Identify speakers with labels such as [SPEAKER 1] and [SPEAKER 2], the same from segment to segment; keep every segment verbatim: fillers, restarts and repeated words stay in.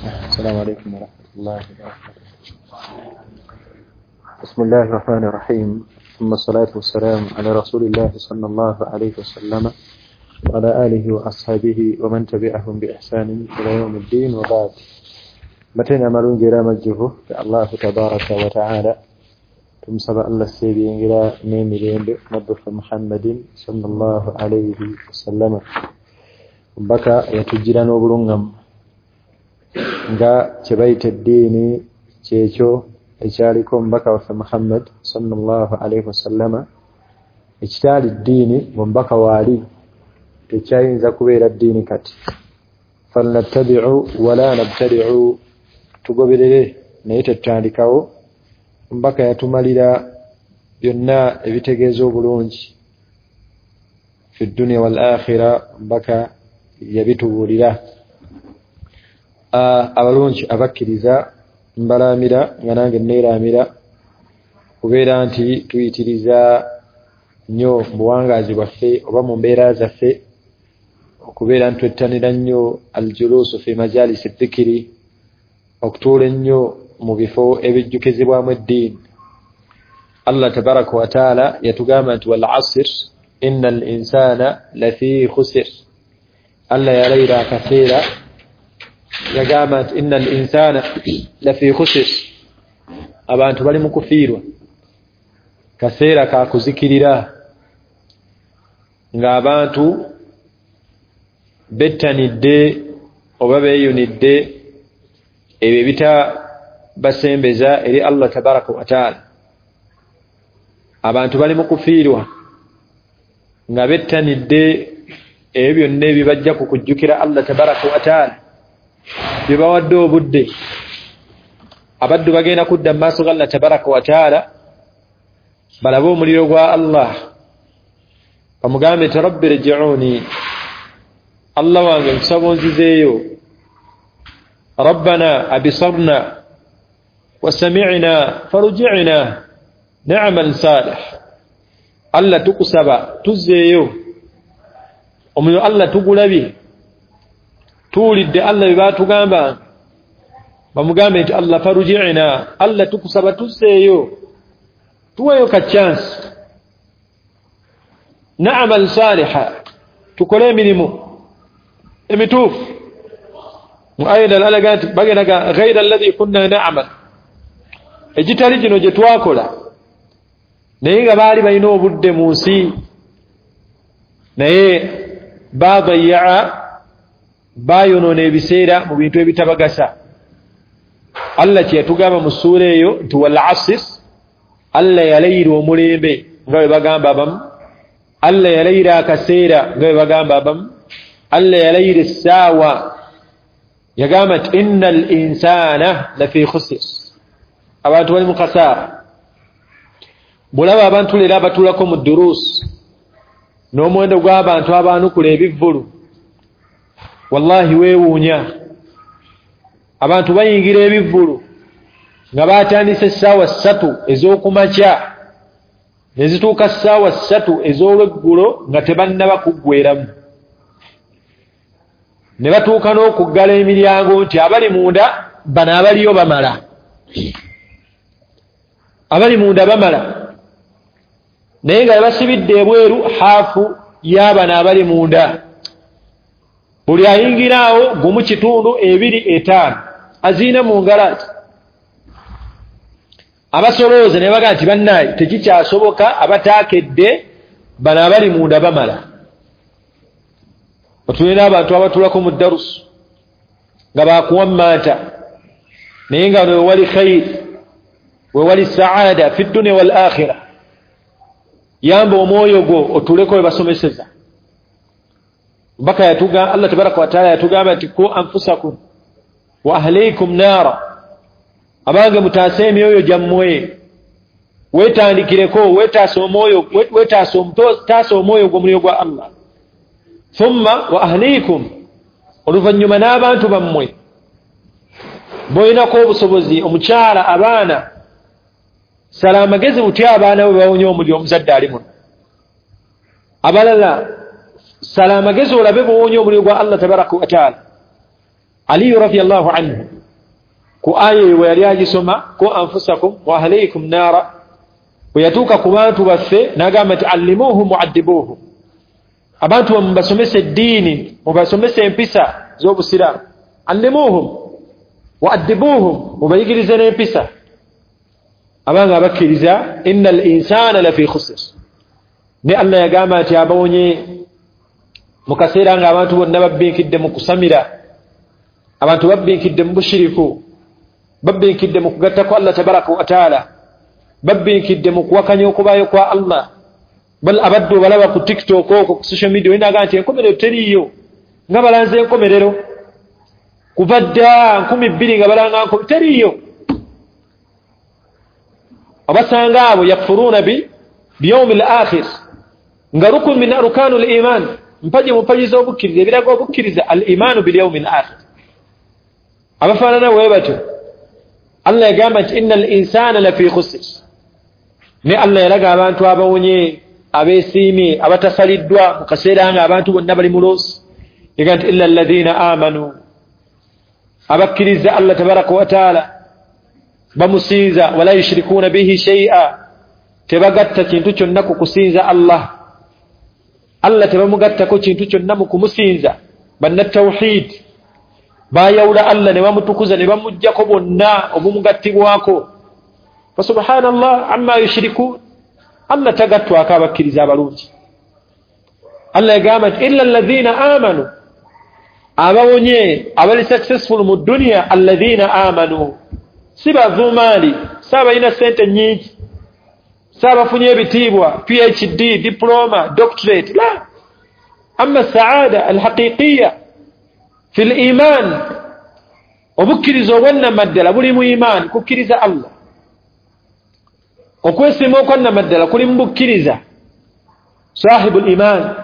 [SPEAKER 1] السلام عليكم ورحمة الله وبركاته. بسم الله الرحمن الرحيم، ثم الصلاة والسلام على رسول الله صلى الله عليه وسلم وعلى آله وأصحابه ومن تبعهم بإحسان إلى يوم الدين، وبعد. متنا مالون جرام الجهو الله تبارك وتعالى تمسب الله السيبين إلى نيمرين نبف محمد صلى الله عليه وسلم بكى يتجران وبلونغم nga kyebayita eddiini kyekyo ekyaliko omubaka waffe Muhammad sallallahu alaihi wasallama. Ekitaali ddiini ng'omubaka waali tekyayinza kubeera ddiini kati. Falnattabi'u wala nabtadi'u, tugoberere naye tetutandikawo. Omubaka yatumalira byonna ebitegeeza obulungi fi dduniya wal akhira, omubaka yabitubuulira. Abalungi abakkiriza mbalaamira nga nange neeraamira kubeera nti tuyitiriza nnyo mu buwangaazi bwaffe oba mu mbeera zaffe okubeera nti twettanira nnyo aljuluusu fi majalisi dhikiri, okutuula ennyo mu bifo ebijjukizibwamu eddiini. Allah tabaraka wa taala yatugamba nti wal asr inna al insana lafi khusr. Allah yalayira akaseera yagamba nti inna al insana lafi khusr, abantu bali mu kufiirwa, kaseera ka kuzikirira ng'abantu bettanidde oba beeyunidde ebyo ebitabasembeza eri Allah tabaraka wa taala. Abantu bali mu kufiirwa nga bettanidde ebyo byonna ebibajja ku kujjukira Allah tabaraka wa taala byebawadde obudde. Abaddu bagenda kudda mu maaso ga Allah tabaraka wa taala balabe omuliro gwa Allah, bamugambe nti rabbi rji'uni, Allah wange nkusaba onzizeeyo. Rabbana abisarna wa sami'na farji'na na'mal salih, Allah tukusaba tuzzeeyo, omuliro Allah tugulabye, tuwulidde Allah bye baatugamba. Bamugambe nti Allah farji'na, Allah tukusaba tuzzeeyo, tuweeyo ka chance, na'mal saliha, tukole emirimu emituufu. Mu aya endala alaga nti bagenda ghaira alladhi kunna na'mal, egitali gino gye twakola, naye nga baali balina obudde mu nsi, naye baadayaa, bayonoona ebiseera mu bintu ebitabagasa. Allah kye yatugamba mu ssuula eyo nti wal asr, Allah yalayira omulembe nga bwe bagamba abamu, Allah yalayira akaseera nga bwe bagamba abamu, Allah yalayira essaawa. Yagamba nti inna al insana lafi khusr, abantu bali mu kasaara. Bw'olaba abantu leero abatuulako mu duruusi n'omuwendo gw'abantu abaanukula ebivvulu, wallahi weewuunya. Abantu bayingira ebivvulu nga baatandise essaawa ssatu ez'okumakya ne zituuka ssaawa ssatu ez'olweggulo nga tebannaba kuggweramu, ne batuuka n'okuggala emiryango nti abali munda bano abaliyo bamala, abali munda bamala, naye nga basibidde ebweru haafu y'abano abali munda. Buli ayingira awo gumu kitundu ebiri etaano aziina mu ngalo ati. Abasolooza ne bagamba nti bannaaye tekikyasoboka, abataakedde bano abali munda bamala. Otulina abantu abatuulako mu darusu nga bakuwammanta, naye nga wewali khayiri, wewali saada fi dduniya wal akhira. Yamba omwoyo gwo otuuleko we basomeseza. Mbaka yatuga Allah tabaraka wa taala yatugamba nti ku anfusakum wa ahlikum nara, abange mutaase emyoyo gyammwe, weetandikireko, weetaase omwoyo, weetaase taasa omwoyo gw'omuliro gwa Allah. Thumma wa ahlikum, oluvannyuma n'abantu bammwe bolinako obusobozi, omukyala, abaana. Sala amagezi butya abaana bwe bawonye omuliro omuzadde ali muno. Abalala sala amagezi olabe bw'owonye omuliro gwa Allah tabaraka wa taala. Ali radiyallahu anhu Ku aya eyo bwe yali agisoma, ku anfusakum wa ahliikum naara, bwe yatuuka ku bantu baffe n'agamba nti allimuuhum muaddibuuhum, abantu mubasomese eddiini, mubasomese empisa z'obusiraamu. Allimuuhum wa addibuuhum, mubayigirize n'empisa. Abanga abakkiriza innal insana lafi khusr. Ne Allah yagamba nti abawonye mu kaseera nga abantu bonna babbinkidde mu kusamira, abantu babbinkidde mu bushiriku, babbinkidde mu kugattako Allah tabaraka wa taala, babbinkidde mu kuwakanya okubaayo kwa Allah. Bal abaddu balaba ku TikTok okwo ku social media olinaga nti enkomerero teriiyo, nga balanze enkomerero kuva dda nkumi bbiri nga balanga nkomerero teriiyo. Abasanga abo yakfuruuna bi biyaumi al akhir, nga rukun min arkanu al iman, mpaji mu mpaji z'obukkiriza, ebiraga obukkiriza al imanu bil yaumi al akhir. Abafaanana bwe batyo Allah yagamba nti innal insana lafi khusr. Ne Allah yalaga abantu abawonye, abeesiimye, abatasaliddwa mu kaseera nga abantu bonna bali mu loosi. Yagamba nti illa alladhina amanu, abakkiriza Allah tabaraka wa taala, bamusinza, wala yushrikuuna bihi shay'a, tebagatta kintu kyonna ku kusinza Allah. Allah tebamugattako kintu kyonna mu kumusinza. Bannatawhid bayawula Allah ne bamutukuza ne bamuggyako bonna obumugattibwako. Fa subhanallah amma yushrikun, Allah tagattwako abakkiriza abalungi. Allah yagamba nti illa alladhina amanu, abawonye abali successful mu dunya, alladhina amanu, si bavumaali, si abalina ssente nnyingi, si abafunye ebitiibwa P H D, diploma, doctorate, la. Amma saada alhaqiqiya fi liman, obukkiriza obwannamaddala buli mu iman, kukkiriza Allah. Okwesiima okwannamaddala kuli mu bukkiriza. Sahibu liman,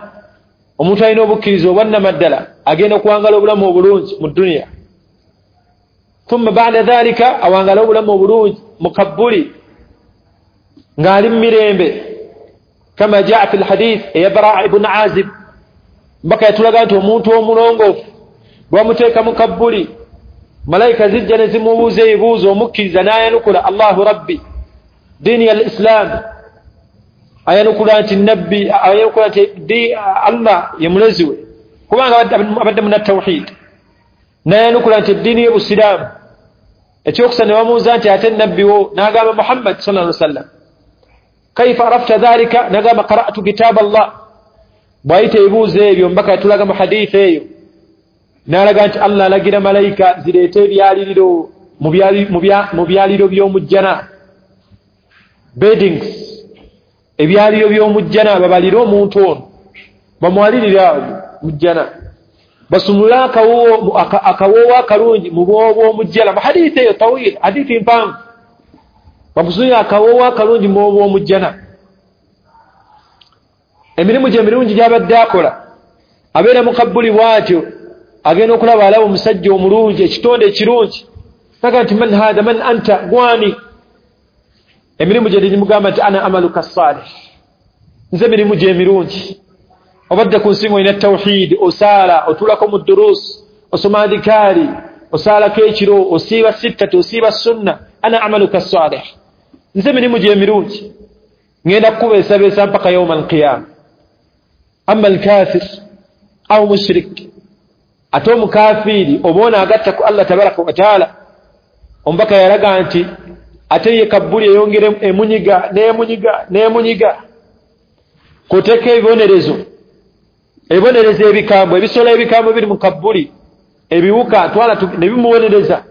[SPEAKER 1] omuntu alina obukkiriza obwannamaddala agenda okuwangala obulamu obulungi mu duniya, thumma ba'da dhalika awangala obulamu obulungi mu kabbuli ng'ali mu mirembe, kama jaa fi lhadith eya Baraa ibn Azib. Mbaka yatulaga nti omuntu omulongoofu bwamuteeka mu kabbuli, malayika zijja ne zimubuuza ebibuuzo, omukkiriza n'ayanukula Allahu rabbi, diini al islam, ayanukula nti nabbi, ayanukula nti Allah ye mulezi we, kubanga abadde munnatawhid, n'ayanukula nti eddiini y'obusiraamu. Ekyokusa ne bamubuuza nti ate nabbi wo, n'agamba Muhammad sallallahu alaihi wasallam. Kaifa arafta dhalika, n'agamba qara'tu kitab Allah. Bw'ayita ebibuuzo ebyo mbaka yatulaga mu hadithi eyo, n'alaga nti Allah alagira malayika zireete ebyaliriro mu byaliro by'omujjana, beddings, ebyaliro by'omujjana, babalire omuntu ono bamwalirire awo mujjana, basumule akawoowo akalungi mu bwobo bw'omujjana. Mu hadithi eyo tawil, hadithi mpanvu, bamusumule akawoowo akalungi mu bwobo bw'omujjana. Emirimu gye emirungi gy'abadde akola, abeera mu kabbuli bw'atyo, agenda okulaba alaba omusajja omulungi, ekitonde ekirungi, naga nti man hadha, man anta, gwani? Emirimu gye gimugamba nti ana amaluka salih, nze emirimu gye emirungi. Obadde ku nsi ng'olina tawhid, osaala, otuulako mu durus, osoma adhikaari, osaalako ekiro, osiiba sittati, osiiba sunna, ana amaluka salih, nze emirimu gye emirungi, ngenda kukubeesabeesa mpaka yauma alqiyama. Amma alkafir au mushrik, ate omukafiiri oba ono agatta ku Allah tabaraka wa taala, omubaka yalaga nti ate ye kabbuli eyongere emunyiga n'emunyiga n'emunyiga, kuteeka ebibonerezo, ebibonerezo ebikambwe, ebisolo ebikambwe biri mu kabbuli, ebiwuka twala ne bimubonereza.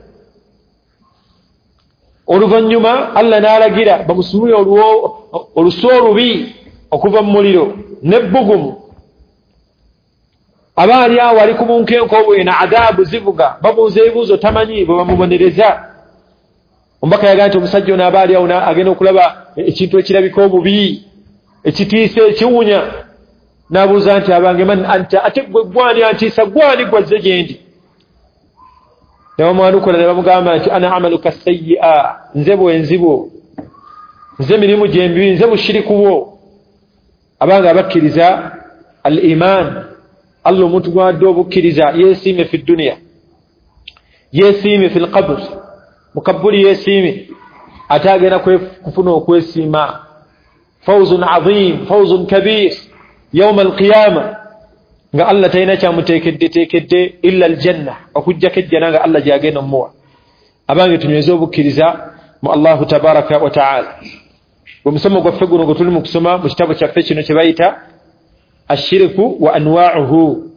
[SPEAKER 1] Oluvannyuma Allah n'alagira bamusumule olusu olubi okuva mu muliro n'ebbugumu. Aba ali awo ali ku bunkenke obwena, adaabu zivuga, babuuza ebibuuzo tamanyi bwe bamubonereza. Omubaka yagamba nti omusajja ono aba ali awo agenda okulaba ekintu ekirabika obubi, ekitiisa, ekiwunya, n'abuuza nti abange man anta, ate gwe gwani antiisa, gwani gwazze gye ndi? Ne bamwanukula ne bamugamba nti ana amaluka sayyi'a, nze bwenzi bwo, nze mirimu gye mibi, nze bushiriku bwo. Abanga abakkiriza al iman, Allah omuntu gwadde obukkiriza yeesiime fi duniya, yeesiime fi lqabr, Mu kabbuli yeesiime, ate agenda kufuna okwesiima. Fawzun azim, fawzun kabir yauma alqiyama, nga Allah talina kyamuteekeddeteekedde illa aljanna, okuggyako ejjana nga Allah gyagenda omuwa. Abange, tunyweze obukkiriza mu Allahu tabaraka wa taala. Omusomo gwaffe guno gwe tuli mu kusoma mu kitabo kyaffe kino kye bayita ashiriku wa anwa'uhu,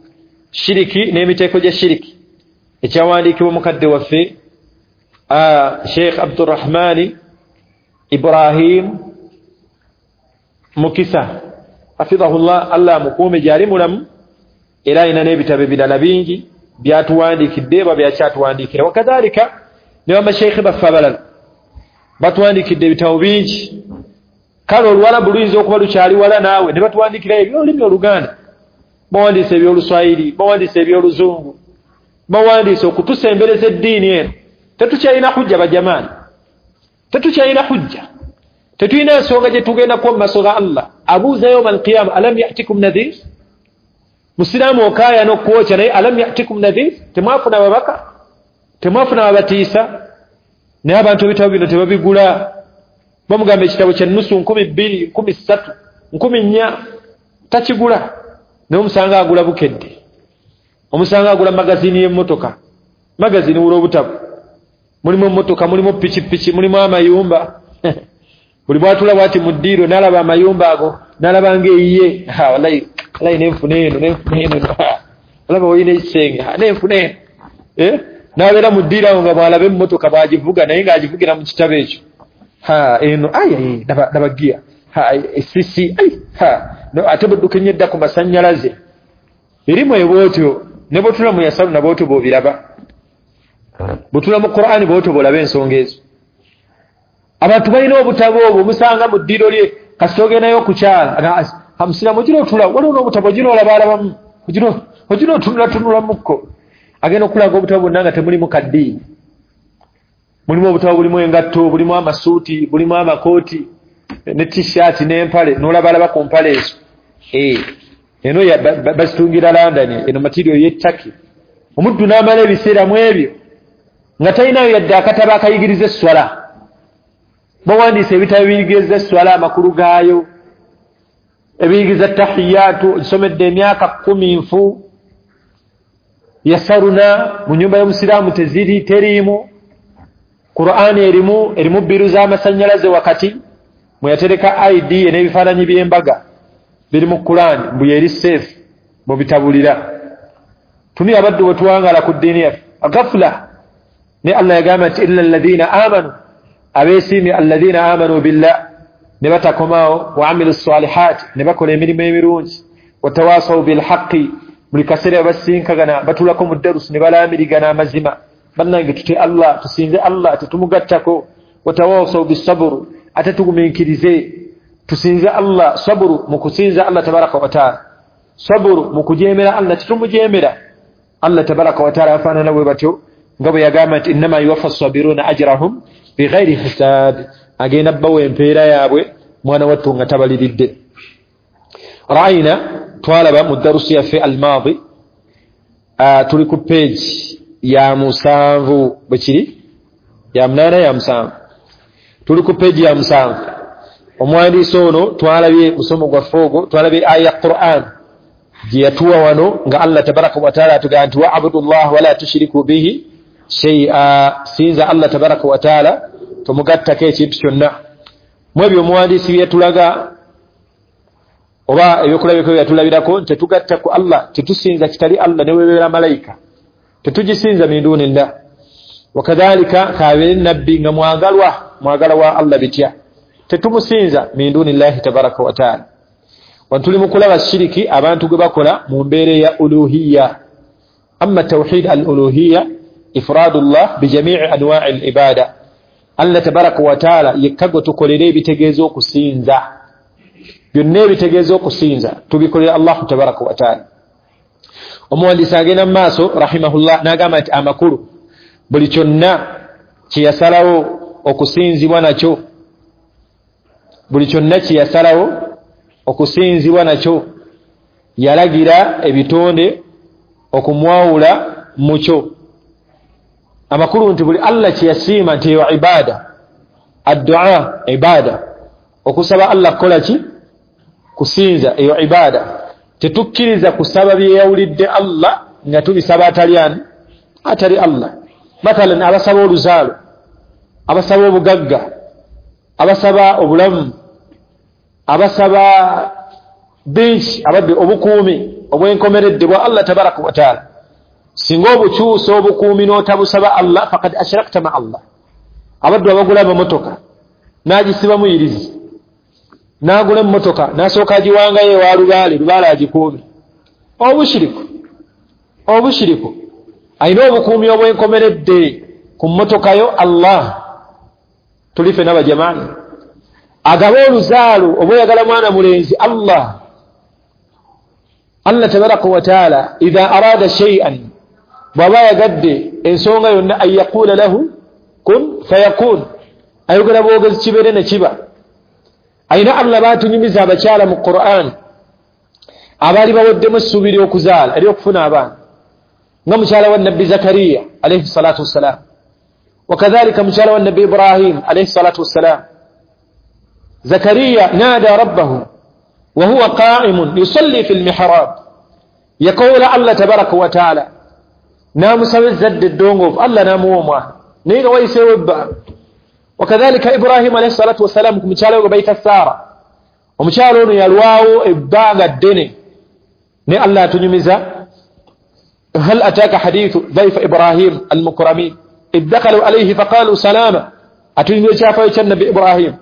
[SPEAKER 1] shiriki n'emiteeko gya shiriki, ekyawandiikibwa mukadde waffe Sheikh Abdurrahmani Ibrahim Mukisa hafidhahullah, Allah amukuume gyali mulamu, era alina n'ebitabo ebirala bingi byatuwandiikidde oba byakyatuwandiikira. Wakadhalika ne bamasheikhe baffe abalala batuwandiikidde ebitabo bingi. Kale Oluwalabu luyinza okuba lukyali wala naawe, ne batuwandiikirayo ebyolulimi Oluganda, bawandiise ebyoluswayiri, bawandiise ebyoluzungu, bawandiise okutusembereza eddiini eno. Tetukyalina hujja bajamaani, tetukyalina hujja, tetulina nsonga gye tugendako mu maaso ga Allah. Abuuza yauma alqiyama, alam yatikum nadhir? Musiraamu okaaya n'okwokya, naye alam yatikum nadhir? Temwafuna babaka? Temwafuna babatiisa? Naye abantu ebitabo bino tebabigula. Bamugamba ekitabo kya nusu nkumi bbiri, nkumi ssatu, nkumi nnya, takigula. Naye omusanga agula Bukedde, omusanga agula magazini y'emmotoka, magazini wula obutabo, mulimu emmotoka, mulimu pikipiki, mulimu amayumba. Buli bwatula bwati mu ddiiro n'alaba amayumba ago, n'alaba ng'eyiye, wallahi wallahi nenfuna eno, nenfuna eno, olaba olina ekisenge, nenfuna eno, eh n'abeera mu ddiiro awo nga bw'alaba emmotoka bw'agivuga, naye ng'agivugira mu kitabo ekyo. Ha, eno ayi laba laba giya, ha sisi ayi ha, no ate budduka ennyo edda ku masannyalaze. Erimu ebwotyo ne bw'otula mu yasalu na bwotyo bw'obiraba, bw'otula mu Qur'ani bwotyo bw'olaba ensonga ezo. Abantu balina obutabo obwo, omusanga mu ddiiro lye kasita ogendayo okukyala, amusiramu ogira otula, waliwo n'obutabo ogira olabaalabamu, ogira otunulatunulamukko. Agenda okulaga obutabo bwonna nga temulimu kaddiini. Mulimu obutabo bulimu engatto, bulimu amasuuti, bulimu amakooti ne t-shirt n'empale, n'olabalaba ku mpale ezo. Eh, eno bazitungira London, eno material y'e Turkey. Omuddu n'amala ebiseera mu ebyo nga talinayo yadde akatabo akayigiriza esswala. Bawandiise ebitabo ebiyigiriza esswala, amakulu gaayo, ebiyigiriza tahiyaatu, ogisomedde emyaka kkumi nfu. Yasaruna mu nyumba y'omusiraamu teziri, teriimu. Qur'ani erimu, erimu bbiru z'amasannyalaze wakati mwe yatereka I D n'ebifaananyi by'embaga biri mu Qur'ani, mbu yeri safe mu bitabulira. Tuni abaddu bwe tuwangaala ku ddiini yaffe agafula. Ne Allah yagamba nti illa alladhina amanu, abeesiimye alladhina amanu billah, ne batakomaawo, wa amilu salihaati, ne bakola emirimu emirungi, watawasaw bilhaqi, buli kaseera basinkagana batulako mu darusi ne balaamirigana amazima. Bannange tutye Allah, tusinze Allah, tetumugattako. Watawasaw bisaburu, ate tugumiikirize, tusinze Allah. Saburu mu kusinza Allah tabaraka wa taala, saburu mu kujeemera Allah, tetumujeemera Allah tabaraka wa taala. Afaanana bwe batyo nga bwe yagamba nti innama yuwaffa sabiruna ajrahum bighairi hisab, agenda bbawa empeera yaabwe mwana wattu nga tabaliridde. Ra'ayna, twalaba mu darusi yaffe almaadi, tuli ku page ya musanvu, bwe kiri ya munaana ya musanvu, tuli ku page ya musanvu. Omuwandiisi ono twalabye musomo gwaffe ogwo, twalabye aya ya Qur'an gye yatuwa wano nga Allah tabaraka wa taala atugamba nti wa'budullah wala tushriku bihi shay'a, sinza Allah tabaraka wa taala tomugattako ekintu kyonna. Mu ebyo omuwandiisi bye yatulaga oba ebyokulabirako bye yatulabirako nti tetugatta ku Allah, tetusinza kitali Allah ne webeera malayika, tetugisinza min dunillah. Wakadhalika kabeere nabbi nga mwagalwa, mwagala wa Allah bitya, tetumusinza min dunillahi tabaraka wa taala. Wantuli mu kulaba shiriki abantu gwe bakola mu mbeera ya uluhiyya. Amma tawhid al-uluhiyya ifradullah bijami'i anwa'i al-ibada, Allah tabaraka wa taala yekka gwe tukolera ebitegeeza okusinza, byonna ebitegeeza okusinza tubikolera Allahu tabaraka wa taala. Omuwandiisi agenda mu maaso rahimahullah n'agamba nti amakulu buli kyonna kye yasalawo okusinzibwa nakyo, buli kyonna kye yasalawo okusinzibwa nakyo yalagira ebitonde okumwawula mukyo. Amakulu nti buli Allah kye yasiima nti eyo ibada, addua ibada, okusaba Allah kukola ki? Kusinza, eyo ibada. Tetukkiriza kusaba bye yawulidde Allah nga tubisaba atali ani? Atali Allah. Mathalan abasaba oluzaalo, abasaba obugagga, abasaba obulamu, abasaba bingi, abadde obukuumi obwenkomeredde bwa Allah tabaraka wa taala. Singa obukyusa obukuumi n'otabusaba Allah, faqad ashrakta ma Allah. Abaddu abagula amamotoka n'agisibamu yirizi, n'agula emmotoka n'asooka agiwangayo ewa lubaale, lubaale agikuume. Obushiriku, obushiriku. Alina obukuumi obwenkomeredde ku mmotoka yo Allah. Tuli ffenna bajamaani. Agaba oluzaalo oba oyagala mwana mulenzi, Allah. Allah tabaraka wa taala idha arada shay'an, bw'aba ayagadde ensonga yonna, an yaqula lahu kun fayakun, ayogera bwogezi kibeere ne kiba. Ayina Allah baatunyumiza abakyala mu Qur'an abaali baweddemu essuubi ly'okuzaala ery'okufuna abaana, nga mukyala wa Nabbi Zakariya alayhi salatu wassalam, wakadhalika mukyala wa Nabbi Ibrahim alayhi salatu wassalam. Zakariya nada rabbahu wa huwa qa'imun yusalli fi lmihrab, yakoola Allah tabaraka wa taala n'amusaba ezzadde eddongoofu, Allah n'amuwa omwana naye nga wayiseewo ebbanga. Wakadhalika Ibrahim alayhi salatu wassalam ku mukyala we gwe bayita Sara, omukyala ono yalwawo ebbanga ddene, naye Allah atunyumiza hal ataka hadithu dhaifa Ibrahim almukramin idh dakhalu alayhi faqalu salama, atunyumiza ekyafaayo kya Nabbi Ibrahim.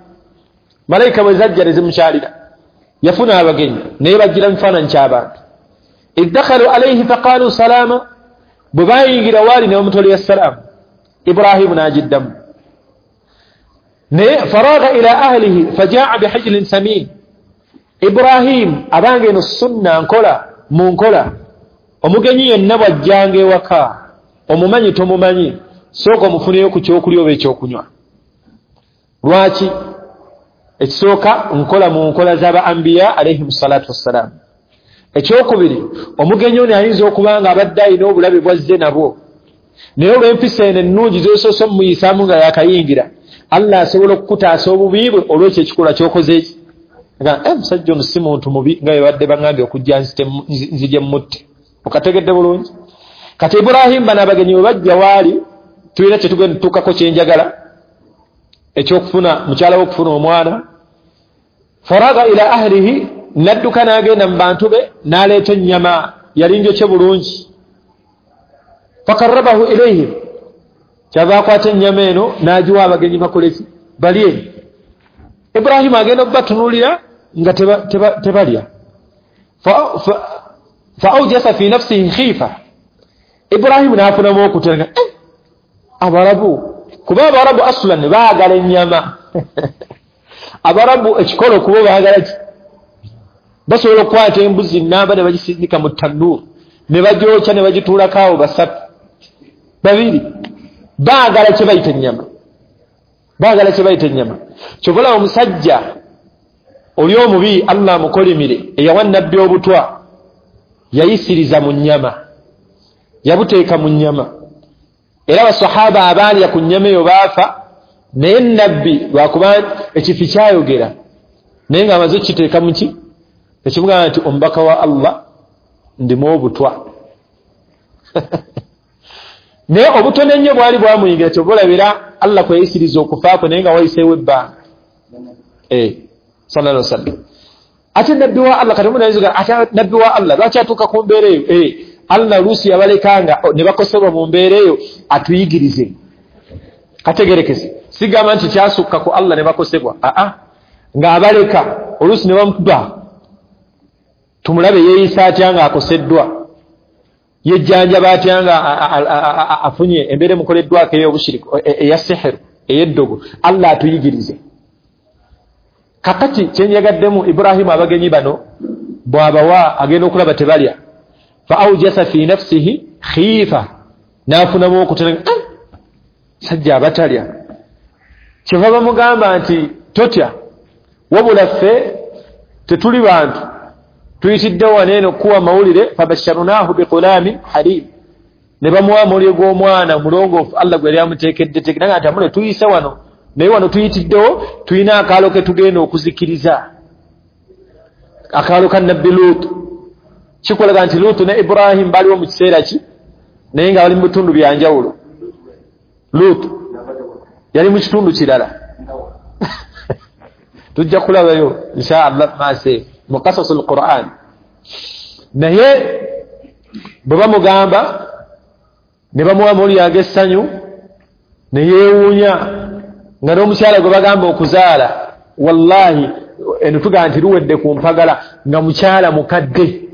[SPEAKER 1] Malayika bwe zajja ne zimukyalira, yafuna abagenyi naye bajjira mu kifaananyi ky'abantu. Idh dakhalu alayhi faqalu salama, bwe bayingira waali ne bamutolera salaamu, Ibrahimu n'agiddamu. Naye faragha ila ahlihi fajaa bihijlin samin, Ibrahim abange eno sunna nkola mu nkola, omugenyi yenna bw'ajjanga ewaka omumanyi tomumanyi, sooka omufuneyo ku kyokulya oba ekyokunywa. Lwaki? Ekisooka nkola mu nkola z'aba ambiya alayhim salatu wassalam. Ekyokubiri, omugenyi ono ayinza okuba nga abadde alina obulabe bwazze nabwo, naye olw'empisa eno ennungi z'osoose omumuyisaamu nga yakayingira, Allah asobola okukutaasa obubi bwe olw'ekyo ekikolwa ky'okoze eki. Agamba, musajja ono si muntu mubi nga bwe badde baŋŋambye okujja nzije mmutte. Okategedde bulungi? Kati Ibrahim bano abagenyi bwe bajja waali, tulina kye tugenda tutuukako kye njagala, ekyokufuna mukyala we okufuna omwana. Faraga ila ahlihi, n'adduka n'agenda mu bantu be n'aleeta ennyama yali njokye bulungi. Fakarrabahu ilayhim, kyava akwata ennyama eno n'agiwa abagenyi bakole ki? Balye. Ibrahimu agenda okubatunuulira nga tebalya. Fa aujasa fi nafsihi khifa, Ibrahimu n'afunamu okutya, eh, abarabu, kuba abarabu aslan baagala ennyama. Abarabu ekikolo kubo baagala ki? Basobola okukwata embuzi nnamba ne bagisindika mu tannuuru ne bagyokya ne bagituulako awo basatu babiri. Baagala kye bayita ennyama, baagala kye bayita ennyama. Kyova olaba omusajja oli omubi, Allah amukolimire, eyawa Nabbi obutwa, yayisiriza mu nnyama, yabuteeka mu nnyama. Era abasahaba abaalya ku nnyama eyo baafa, naye Nabbi lwakuba ekifi kyayogera naye ng'amaze okukiteeka mu ki, ekimugamba nti omubaka wa Allah ndimu obutwa. Naye obutono ennyo bwali bwamuyingira, kyova olabira Allah kwe yayisiriza okufa kwe naye nga wayiseewo ebbanga. Eh, sallallahu alaihi wasallam. Ate Nabbi wa Allah, kati omuntu ate Nabbi wa Allah lwaki atuuka ku mbeera eyo? Eh, Allah luusi yabalekanga ne bakosebwa mu mbeera eyo atuyigirize. Kategerekese, sigamba nti kyasukka ku Allah ne bakosebwa, aa, ng'abaleka oluusi ne bamukuba, tumulabe yeeyisa atya ng'akoseddwa, yejjanjaba atya nga afunye embeera emukoleddwako ey'obushiriku, eya sihiru, ey'eddogo. Allah atuyigirize. Kakati kyenjagaddemu, Ibrahimu abagenyi bano bw'abawa agenda okulaba tebalya. Fa aujasa fi nafsihi khifa, n'afunamu okutya, eh, sajja abatalya. Kyeva bamugamba nti totya, wabula ffe tetuli bantu, tuyitidde wano eno kuwa mawulire. Fabasharnahu bighulamin halim, Ne bamuwa amawulire g'omwana mulongoofu Allah gwe yali amuteekedde teeke, naga nti amule tuyise wano, naye wano tuyitiddewo tulina akaalo ke tugenda okuzikiriza, akaalo ka Nabbi Luutu. Kikulaga nti Luutu ne Ibrahim baliwo mu kiseera ki, naye nga bali mu bitundu bya njawulo. Luutu yali mu kitundu kirala, tujja kulabayo insha Allah maaso mu qasasul Qur'an. Naye bwe bamugamba ne bamuwa amawulire ag'essanyu ne yeewuunya nga n'omukyala gwe bagamba okuzaala, wallahi eno tugamba nti luwedde ku mpagala, nga mukyala mukadde.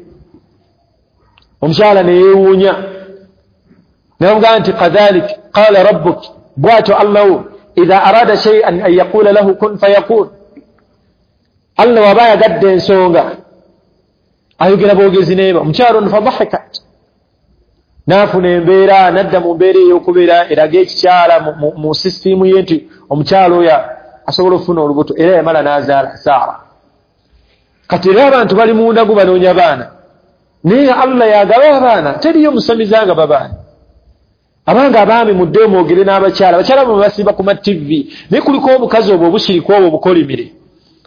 [SPEAKER 1] Omukyala ne yeewuunya ne bamugamba nti kadhalik qala rabbuk, bw'atyo Allahu idha arada shay'an an yaqula lahu kun fayakun. Allah waba ayagadde ensonga ayogera bwogezi n'eba. Omukyala ono fadahikat, n'afuna embeera, n'adda mu mbeera ey'okubeera eraga ekikyala mu sisitiimu ye nti omukyala oyo asobola okufuna olubuto, era yamala n'azaala Saara. Kati era abantu bali mu ndagu banoonya baana, naye Allah yagaba abaana, teriyo musamiza nga babaana. Abanga abaami muddeyo mwogere n'abakyala, abakyala bwe basiiba ku ma T V, naye kuliko obukazi obwo obushiriku obwo obukolimire,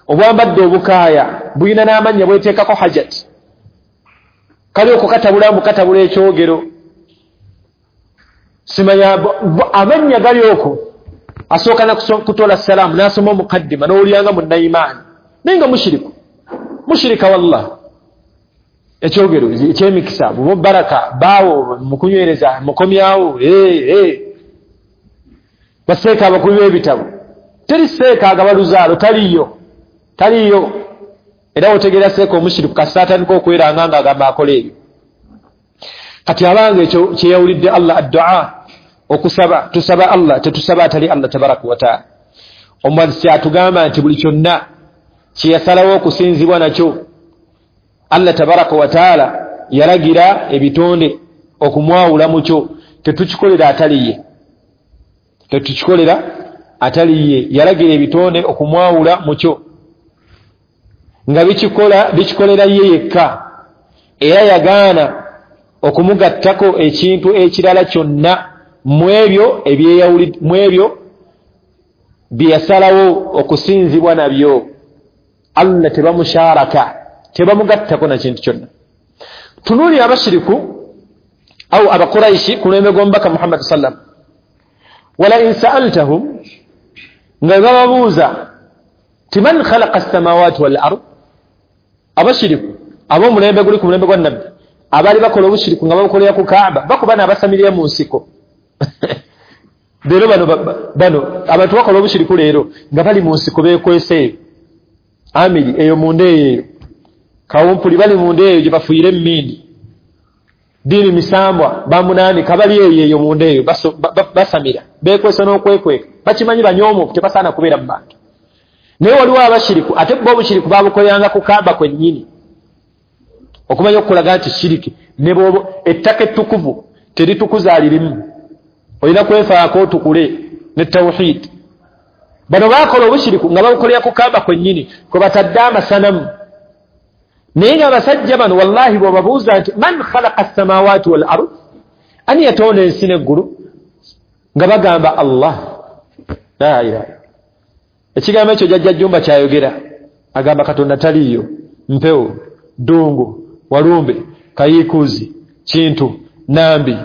[SPEAKER 1] obwambadde obukaaya, buyina n'amannya bweteekako hajat, kali okwo katabula mbu katabula ekyogero, simanya amannya gali okwo. Asooka na kutola salaamu n'asoma omukaddima n'owulyanga munnayimaani, naye nga mushiriku, mushirika wallah. Ekyogero ekyemikisa bubo baraka baawo mukunywereza mukomyawo baseeka abakubi b'ebitabo, teri seeka agaba luzaalo, taliyo taliyo. Era otegeera seeka omushiriku kasita atandika okweranga nga agamba akola ebyo. Kati abanga ekyo kyeyawulidde Allah addua, okusaba tusaba Allah, tetusaba atali Allah tabaraka wa taala. Omwazisi atugamba nti buli kyonna kye yasalawo okusinzibwa nakyo Allah tabaraka wa taala yalagira ebitonde okumwawula mu kyo, tetukikolera atali ye, tetukikolera atali ye. Yalagira ebitonde okumwawula mu kyo nga bikikola bikikolera ye yekka, era yagaana okumugattako ekintu ekirala kyonna mu ebyo ebyeyawuli, mu ebyo bye yasalawo okusinzibwa nabyo. Allah tebamusharaka, tebamugattako na kintu kyonna. Tunuuli abashiriku au abakuraishi ku mulembe gw'omubaka Muhammad sallam, wala in sa'altahum, nga bababuuza ti man khalaqa as-samawati wal ard, abashiriku ab'omulembe guli ku mulembe gwa Nabbi abaali bakola obushiriku nga babukolera ku Kaaba, bakuba n'abasamirira mu nsiko. Leero bano bano abantu bakola obushiriku leero nga bali mu nsiko beekweseeyo, amiri eyo munda eyo kawumpuli bali munda eyo gye bafuuyira emmindi, ddiini misambwa bamunaani kabali eyo eyo munda eyo basamira beekwesa n'okwekweka, bakimanyi banyoomofu tebasaana kubeera mu bantu. Naye waliwo abashiriku ate bo obushiriku babukoleranga ku Kaaba kwennyini, okumanya okukulaga nti shiriki ne bw'oba ettaka ettukuvu teritukuza lirimu, olina kwefaako otukule ne tawhid. Bano baakola obushiriku nga babukolera ku Kaaba kwennyini kwe batadde amasanamu. Naye nga abasajja bano wallahi bw'obabuuza nti man khalaqa as-samawati wal ard, ani yatonda ensi n'eggulu, nga bagamba Allah. La ilaha. Ekigambo ekyo jjajja Jjumba kyayogera, agamba Katonda taliiyo, mpewo, ddungu, walumbe, kayiikuuzi, kintu, nambi,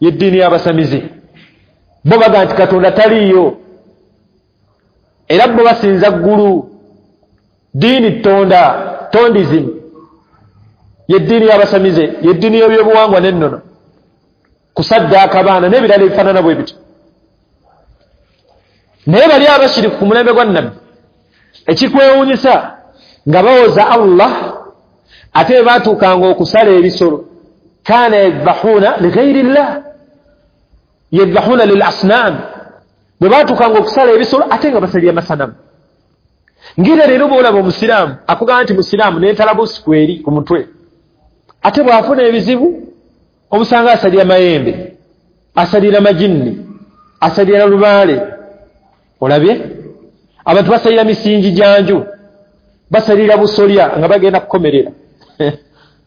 [SPEAKER 1] y'eddiini y'abasamize. Bo bagamba nti Katonda taliiyo, era bo basinza ggulu, ddiini ttonda, tondism, y'eddiini y'abasamize, y'eddiini y'ebyobuwangwa n'ennono, kusaddaaka abaana n'ebirala ebifaanana bwe bityo. Naye bali abashiriku ku mulembe gwa Nabbi, ekikwewuunyisa nga bawoza Allah, ate bwe baatuukanga okusala ebisolo, kaana yadhbahuuna lighairi llah, yadhbahuuna lil asnaam, bwe baatuukanga okusala ebisolo ate nga basalira masanamu. Ng'era leero bw'olaba omusiraamu akugamba nti musiraamu n'entalabuusi kweri ku mutwe, ate bw'afuna ebizibu omusanga asalira mayembe, asalira majinni, asalira lubaale. Olabye abantu basalira misingi gya nju, basalira busolya nga bagenda kukomerera,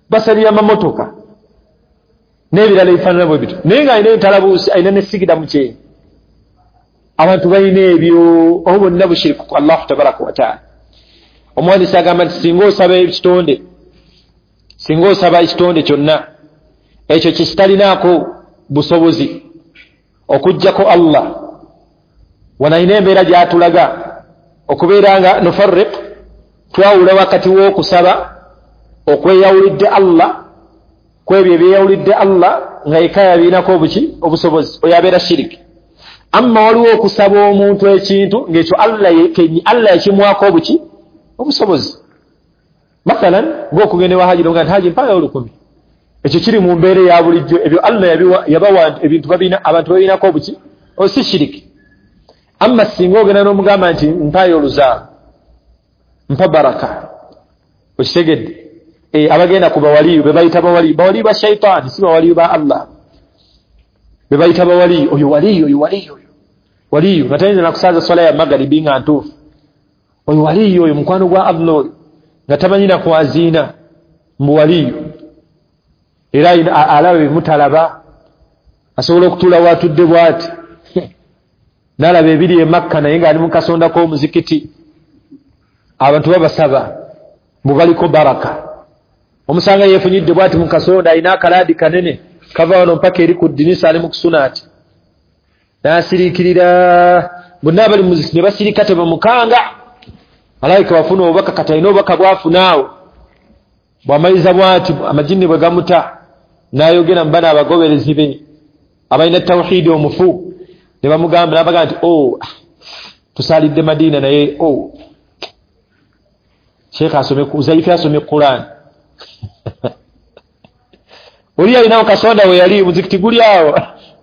[SPEAKER 1] basalira mamotoka. N'ebirala ebifaanana bwe bityo, naye ng'alina entalabuusi, alina ne sigida mu kyenyi. Abantu balina ebyo, obo bonna bushiriku ku Allahu tabaraka wataala. Omuwandiisi agamba nti singa osaba ekitonde, singa osaba ekitonde kyonna ekyo kyekitalinaako busobozi okuggyako Allah, wano alina embeera gy'atulaga okubeera nga nufarriq, twawula wakati w'okusaba okweyawulidde Allah kwebyo ebyeyawulidde Allah nga yekka yabiinako obuki obusobozi, oyo abeera shiriki. Amma waliwo okusaba omuntu ekintu ng'ekyo Allah Allah yakimuwaako obuki obusobozi. Mathalan ng'okugenda ewa Haji nga nti Haji mpaayo olukumi, ekyo kiri mu mbeera eya bulijjo, ebyo Allah yabawa ebintu babina abantu babinako obuki osi shiriki. Amma singa ogenda n'omugamba nti mpaayo oluzaalo, mpa baraka, okitegedde? E, abagenda ku bawaliyu be bayita bawaliyu, bawaliyu ba shaitaani si bawaliyu ba Allah, be bayita bawaliyu, oyo waliyu, oyo waliyu, oyo waliyu nga tayinza nakusaaza swala ya magaribi nga ntuufu, oyo waliyu, oyo mukwano gwa Allah, oyo nga tamanyi na kwaziina mbu waliyu, era alaba bimutalaba, asobola okutuula waatudde bw'ati n'alaba ebiri e Makka naye ng'ali mu kasonda k'omuzikiti, abantu babasaba mbu baliko baraka. Omusanga yeefunyidde bw'ati mu kasonda, alina akalaadi kanene kava wano mpaka eri ku ddinisa, ali mu kusuna ati n'asiriikirira, bonna abali mu muzikiti ne basirika tebamukanga. Malayika wafuna obubaka, kati alina obubaka bw'afuna awo, bw'amaliza bw'ati amajinni bwe gamuta n'ayogera mu bano abagoberezi be abalina tawhiidi omufu, ne bamugamba n'abagamba nti o tusaalidde Madiina naye o Sheikh asome Uzaifi asome Quran. Oli alinawo kasonda we yali muzikiti guli awo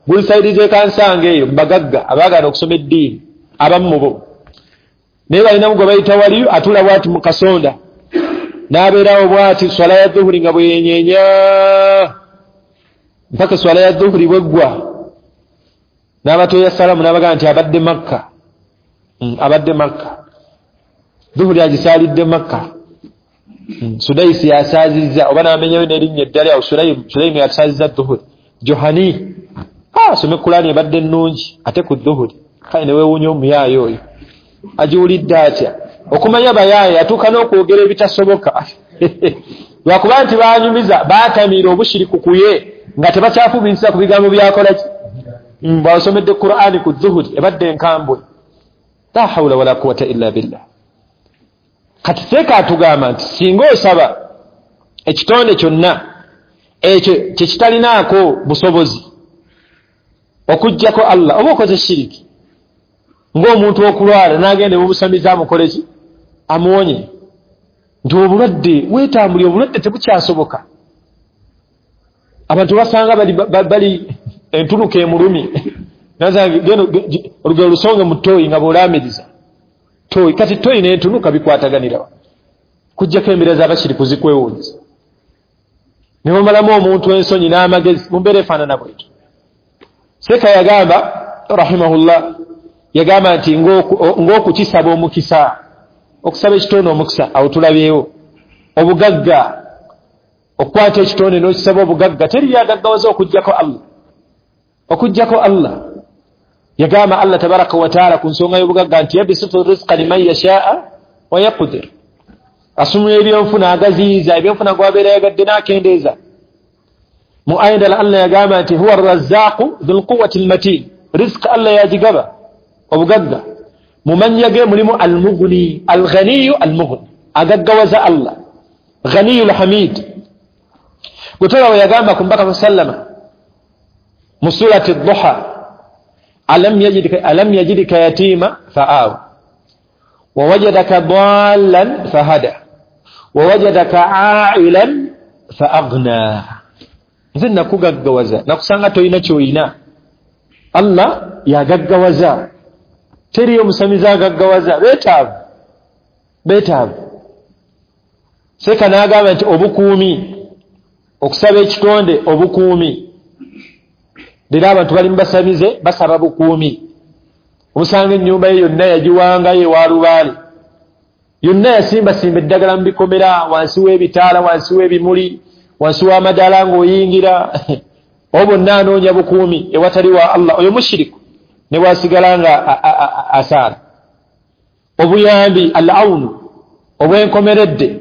[SPEAKER 1] guli saidi z'ekansanga eyo mbagagga abaagala okusoma eddiini abamu mu bo, naye balinamu gwe bayita waliyo atula bw'ati mu kasonda n'abeerawo bw'ati swala ya dhuhuri nga bwe yenyeenya mpaka swala ya dhuhuri bweggwa, n'abatoya salaamu n'abagamba nti abadde Makka, mm, abadde Makka, dhuhuri agisaalidde Makka, mm, Sudaisi yasaazizza oba n'amenyayo n'erinnya eddala awo, Sulayimu yasaazizza dhuhuri, Johani asome Kulaani ebadde nnungi ate ku dhuhuri, kale ne weewuunya omuyaayo oyo agiwulidde atya? Okumanya bayaaye atuuka n'okwogera ebitasoboka lwakuba nti baanyumiza baatamiira obushiriku ku ye nga tebakyafumiitiriza ku bigambo byakola ki, bw'asomedde Qur'ani ku dhuhuri ebadde enkambwe. La hawula wala quwwata illa billah. Kati seeka atugamba nti singa osaba ekitonde kyonna ekyo kyekitalinaako busobozi okuggyako Allah, oba okoze shiriki. Ng'omuntu okulwala n'agenda ebubusamiza amukole ki, amuwonye, nti obulwadde weetambulira, obulwadde tebukyasoboka, abantu basanga bali, bali entunuka emulumye, olugero lusonge mu ttooyi nga bw'olaamiriza ttooyi, kati ttooyi n'entunuka bikwataganirawa, kuggyako embeera z'abashiriku zikwewuunyisa, ne bamalamu omuntu ensonyi n'amagezi mu mbeera efaanana bwetyo. Seeka yagamba rahimahullah, yagamba nti ng'okukisaba omukisa, okusaba ekitonde omukisa, awo tulabyewo obugagga, okukwata ekitonde n'okisaba obugagga, teriyo agaggawaza okuggyako Allah, okuggyako Allah. Yagamba Allah tabaraka wa taala ku nsonga y'obugagga nti yabisutu rizqa liman yashaa wa yaqdir, asumula ebyenfuna agaziyiza, ebyenfuna gw'abeera yagadde n'akendeeza. Mu aya endala Allah yagamba nti huwa arrazzaqu dhul quwwati almatin, rizqa Allah yagigaba obugagga, mu mannya ge mulimu almughni, alghaniyu almughni, agaggawaza Allah, ghaniyu alhamid. Gwe we yagamba ku Mbaka sallama mu surati Duha, alam yajidika alam yajidika yatima fa'awa wa wajadaka dallan fahada wa wajadaka a'ilan fa'aghna. Nze nakugaggawaza, nakusanga toyina ky'oyina. Allah yagaggawaza, teriyo musamiza agaggawaza, beetaavu beetaavu. Seeka n'agamba nti obukuumi, okusaba ekitonde obukuumi. Leero abantu bali mu basamize basaba bukuumi, omusanga ennyumba ye yonna yagiwangayo ewa lubaale, yonna yasimbasimba eddagala mu bikomera, wansi w'ebitaala, wansi w'ebimuli, wansi w'amadaala ng'oyingira Obo bonna anoonya bukuumi ewatali wa Allah, oyo mushiriku ne bwasigala nga asaala. Obuyambi al aunu obwenkomeredde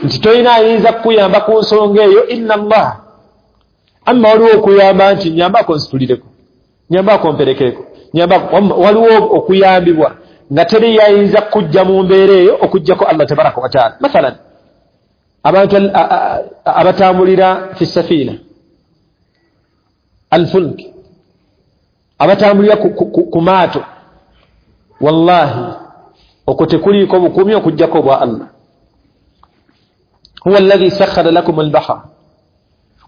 [SPEAKER 1] nti tolina ayinza kukuyamba ku nsonga eyo illa Allah. Amma waliwo okuyamba nti nyambako nsitulireko, nyambako mperekereko, nyambako, waliwo okuyambibwa nga teri yayinza kujja mu mbeera eyo okujjako Allah tabaraka wa taala. Mathalan abantu abatambulira fi safina alfulk, abatambulira ku maato, wallahi okwo tekuliiko bukuumi okujjako bwa Allah. Huwa alladhi sakhkhara lakum albahra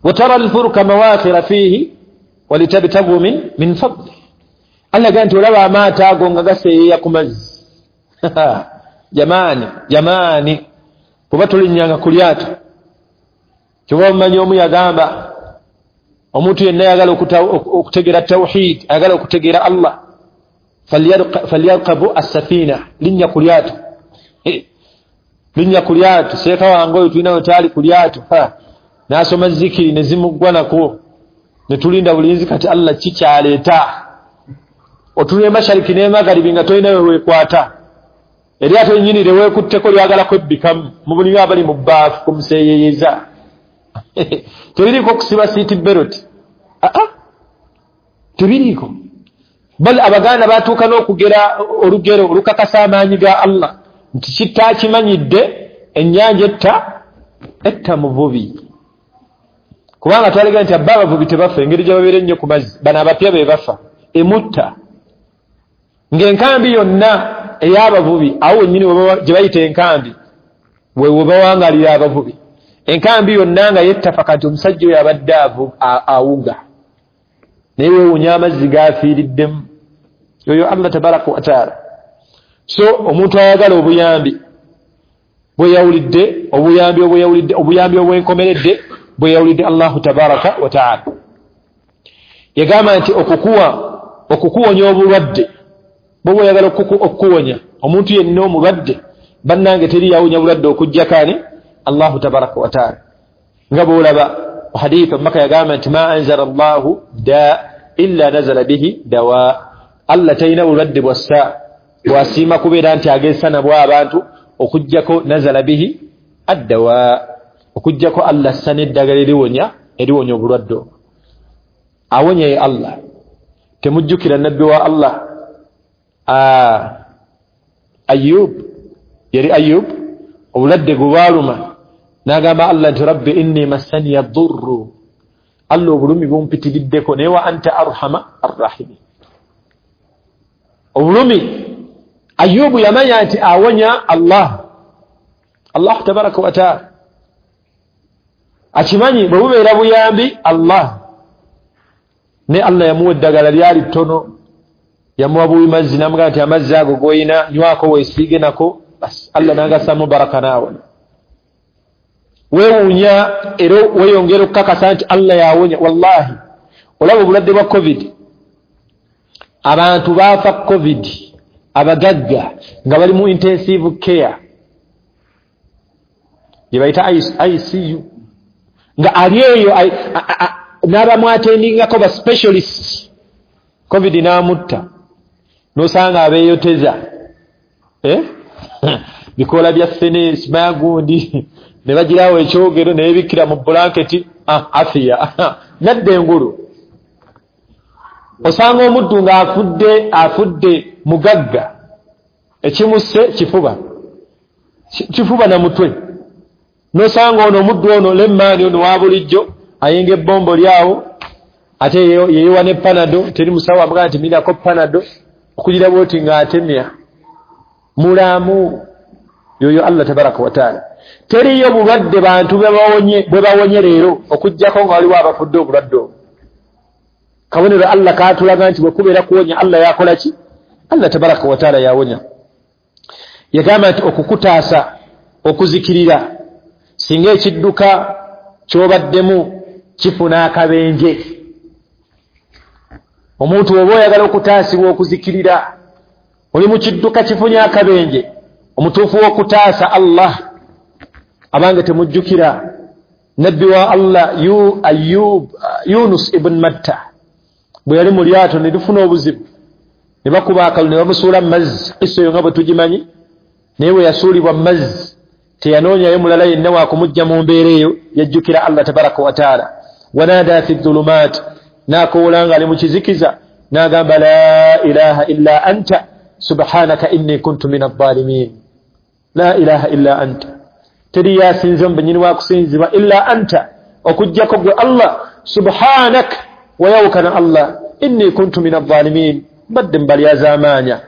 [SPEAKER 1] wa tara alfulka mawakhira fihi walitabtagu min min fadli. Allah ganti olaba amaato ago nga gaseeyeeya ku mazzi. Jamaani jamaani, kuba tulinnyanga ku lyato. Kyoba omumanyi omu yagamba omuntu yenna ayagala okutegeera tawhid, ayagala okutegeera Allah, falyarkabu assafina, linnya ku lyato, linnya ku lyato. Seeka wange oyo tulina we twali ku lyato, n'asoma zikiri ne zimuggwa nako, ne tulinda bulinzi kati Allah kikyaleeta. Otunula emashariki n'emagaribi nga tolina we weekwata, eryato nnyini lye weekutteko lyagala kwebbikamu, mu bulinga abali mu bbaafu kumuseeyeeyeza. Tebiriiko kusiba seat belt, aa tebiriiko. Bal Abaganda batuuka n'okugera olugero olukakasa amaanyi ga Allah nti kitakimanyidde ennyanja etta etta muvubi. Kubanga twalega nti abba abavubi tebafa, engeri gye babeera ennyo ku mazzi, bano abapya be bafa, emutta. Ng'enkambi yonna ey'abavubi awo wennyini gye bayita enkambi we webawangalira abavubi, enkambi yonna nga yettafa. Kati omusajja oyo abadde awuga, naye weewuunya amazzi gaafiiriddemu. Oyo Allah tabaraka wa taala. So omuntu ayagala obuyambi bweyawulidde, obuyambi obweyawulidde, obuyambi obwenkomeredde bweyawulidde Allahu tabaraka wa taala. Yagamba nti okukuwa okukuwonya obulwadde, bw'oba oyagala okukuwonya omuntu yenna omulwadde, bannange teri yawonya bulwadde okujjako ani? Allahu tabaraka wa taala. Nga bw'olaba haditha Maka yagamba nti ma anzala Allahu da illa nazala bihi dawa. Allah talina bulwadde bwassa bwasiima kubeera nti agezesa nabwo abantu okujjako nazala bihi addawa, okujjako Allah assa n'eddagala eriwonya eriwonya obulwadde obwo. Awonya ye Allah. Temujjukira nabbi wa Allah Ayub, yali Ayub obulwadde gwe bwaluma n'agamba Allah nti rabbi inni massaniya ddurru, Allah obulumi bumpitiriddeko, naye wa anta arhama arrahimin. Obulumi Ayubu yamanya nti awonya Allah, Allah tabaraka wa taala akimanyi bwe bubeera buyambi Allah, ne Allah yamuwa eddagala lyali ttono, yamuwa buwi mazzi n'amugamba nti amazzi ago g'oyina nywako weesiige nako, basi Allah n'agassamu baraka n'awona. Weewuunya era weeyongera okukakasa nti Allah yawonya. Wallahi olaba obulwadde bwa covid, abantu baafa covid abagagga nga bali mu intensive care gye bayita I C U, nga ali eyo n'abamwatendingako ba specialist, covid n'amutta. N'osanga abeeyoteza eh? bikoola bya ffene simagundi ne bagirawo ekyogero ne beebikkira mu bulanketi, ah, afiya nadda engulu. Osanga omuddu ng'afudde afudde mugagga, ekimusse kifuba kifuba na mutwe. N'osanga ono omuddu ono lemmaani ono wa bulijjo ayinga ebbombo lyawo, ate yeewa ne panado, teri musawo amugamba nti mirako panado okugira bw'oti ng'atemya mulamu. Yoyo Allah tabaraka wa taala. Teriyo bulwadde bantu bwe bawonye leero okujjako nga waliwo abafudde obulwadde obwo. Kabonero Allah kaatulaga nti bwe kubeera kuwonya Allah yakola ki? Allah tabaraka wa taala yawonya. Yagamba nti okukutaasa okuzikirira singa ekidduka ky'obaddemu kifuna akabenje. Omuntu oba oyagala okutaasibwa okuzikirira, oli mu kidduka kifunye akabenje, omutuufu w'okutaasa Allah. Abange temujjukira Nabbi wa Allah yu Ayub Yunus ibn Matta bwe yali mu lyato ne lifuna obuzibu, ne bakuba akalu ne bamusuula mu mazzi. Kisa eyo nga bwe tugimanyi, naye bwe yasuulibwa mu mazzi teyanoonyayo mulala yenna wakumujja mu mbeera eyo, yajjukira Allah tabaraka wa taala. Wanada fi dhulumat, n'akoola nga ali mu kizikiza n'agamba la ilaha illa anta subhanaka inni kuntu min adh-dhalimin. La ilaha illa anta, teri yasinze mbenyini wakusinzibwa illa anta, okujjako gwe Allah, subhanak, wayawukana Allah, inni kuntu min adh-dhalimin, mbadde mbalyazaamaanya.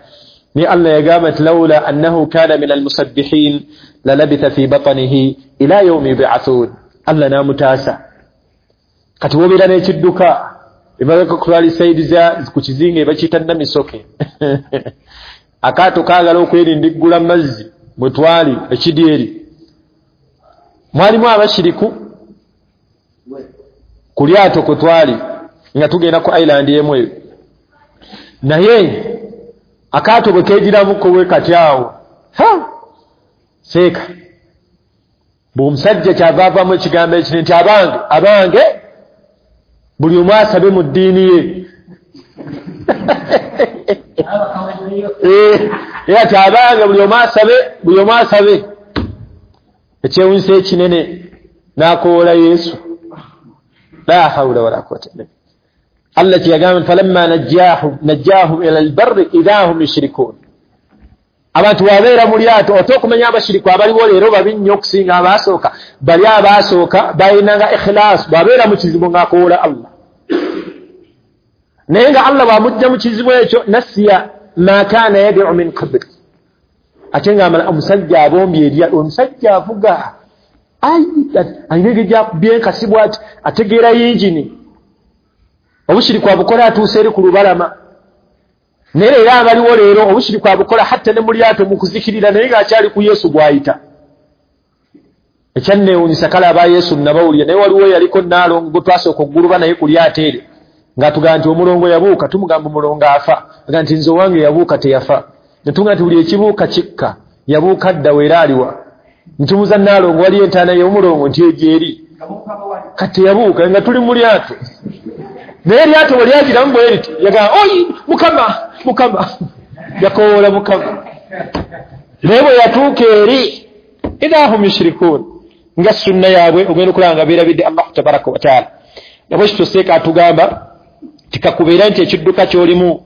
[SPEAKER 1] Ni Allah yagamba nti laula annahu kana min almusabbihin lalabitha fi batnihi ila yawmi yub'athun. Allah n'amutaasa. Kati wobeera n'ekidduka emabega kutwala sayidi za ku kizinga ebakiyita Namisoke akaato kaagala okwerindiggula mazzi mwe twali ekidyeri, mwalimu abashiriku ku lyato kwe twali nga tugenda ku island emu eyo, naye akaato bwe keegiramuko bwe kati awo ha seeka bwe omusajja kyava avaamu ekigambo ekiri nti abange abange buli omu asabe mu ddiini ye. Era ti abange buli omu asabe, buli omu asabe. Ekyewunyisa ekinene n'akoola Yesu. La hawula wala quwwata illa billah. Allah kyeyagamba falamma najjahum najjahum ila albarri idha hum yushrikun. Abantu wabeera mu lyato ote okumanya abashiriku abaliwo leero babi nnyo okusinga abaasooka. Bali abaasooka balinanga ikhilaas, bwabeera mu kizibu ng'akoola Allah, naye nga Allah bw'amujja mu kizibu ekyo nasiya ma kaana yad'u min qabl, ate ng'amala omusajja abombye erya, omusajja avuga ayi alina engeri gy'akubye enkasi bw'ati, ategeera yingini, obushiriku abukola atuuse eri ku lubalama. Naye leero abaliwo leero obushiriku abukola hatta ne mu lyato mu kuzikirira, naye ng'akyali ku Yesu gw'ayita. Ekyanneewuunyisa kale aba Yesu nabawulira, naye waliwo yaliko Nnaalongo gwe twasooka okuguluba naye ku lyato eryo ng'atugamba nti omulongo yabuuka, tumugamba omulongo afa, aga nti nze owange yabuuka teyafa, ne tugamba nti buli ekibuuka kikka, yabuuka dda weera aliwa. Ntumuza Nnaalongo waliyo entaana y'omulongo nti egyo eri, kati teyabuuka nga tuli mu lyato. Naye eryato bwe lyagiramu bwe riti yagamba oyi Mukama Mukama, yakowoola Mukama. Naye bwe yatuuka eri idha hum yushrikun, nga sunna yaabwe ogenda okulaba nga beerabidde Allahu tabaraka wa taala. Nabwe kityo seeka atugamba tikakubeera nti ekidduka ky'olimu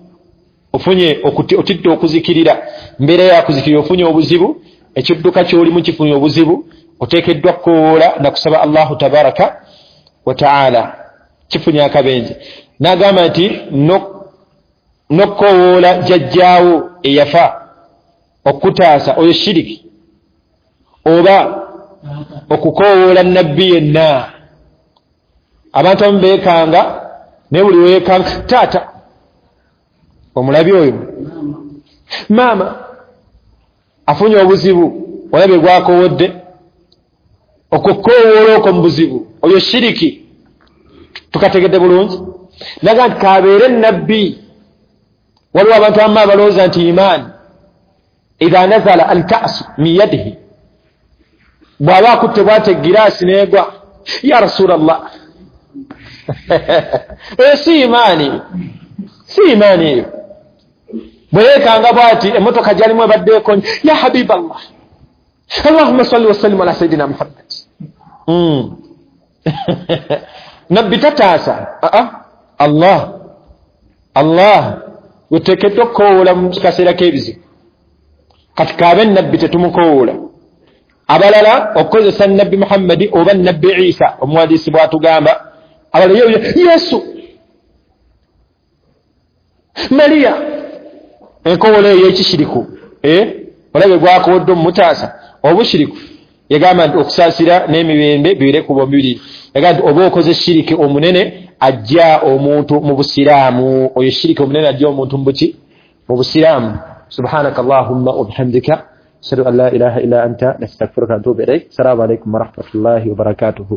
[SPEAKER 1] ofunye otidde okuzikirira, mbeera yakuzikirira ofunye obuzibu, ekidduka ky'olimu kifunye obuzibu, oteekeddwa kukowoola na kusaba Allahu tabaraka wa taala. Kifunye akabenje. N'agamba nti n'okukowoola jjajjaawo eyafa okutaasa oyo shiriki, oba okukowoola nabbi yenna. Abantu abamu beekanga, naye buli weekanga taata omulabi oyo maama afunye obuzibu, olabye gwakowodde, okukowoola okwo mu buzibu oyo shiriki. Tukategedde bulungi. Naga nti kabeere nabbi. Waliwo abantu abamu abalowooza nti imaani idha nazala alkasu min yadihi, bw'aba akutte bw'ate egiraasi n'egwa, ya Rasulallah. Eyo si imaani, si imaani eyo. Bwe yeekanga bw'ati emmotoka gy'alimu ebadde ekonye, ya habiballah allahumma salli wasallim ala sayidina Muhammad. mm. Nabbi tataasa. Aa, Allah Allah weteekeddwa okukowoola mu kaseera k'ebizibu. Kati kaabe nabbi tetumukowoola. Abalala okukozesa nabbi Muhammadi oba nabbi Isa, omuwandiisi bw'atugamba, abalala Yesu, Mariya, enkowoola eyo ekishiriku, eh olabe gwakowodde omutaasa obushiriku. Yagamba nti okusaasira n'emirembe bibeere ku bombi. Yagamba nti oba okoze shiriki omunene ajja omuntu mu busiraamu, oyo shiriki omunene ajja omuntu mu buki mu busiraamu. Subhanaka allahumma wa bihamdika ashhadu an la ilaha illa anta nastaghfiruka wa atubu ilaik. Assalamu alaikum wa rahmatullahi wa barakatuhu.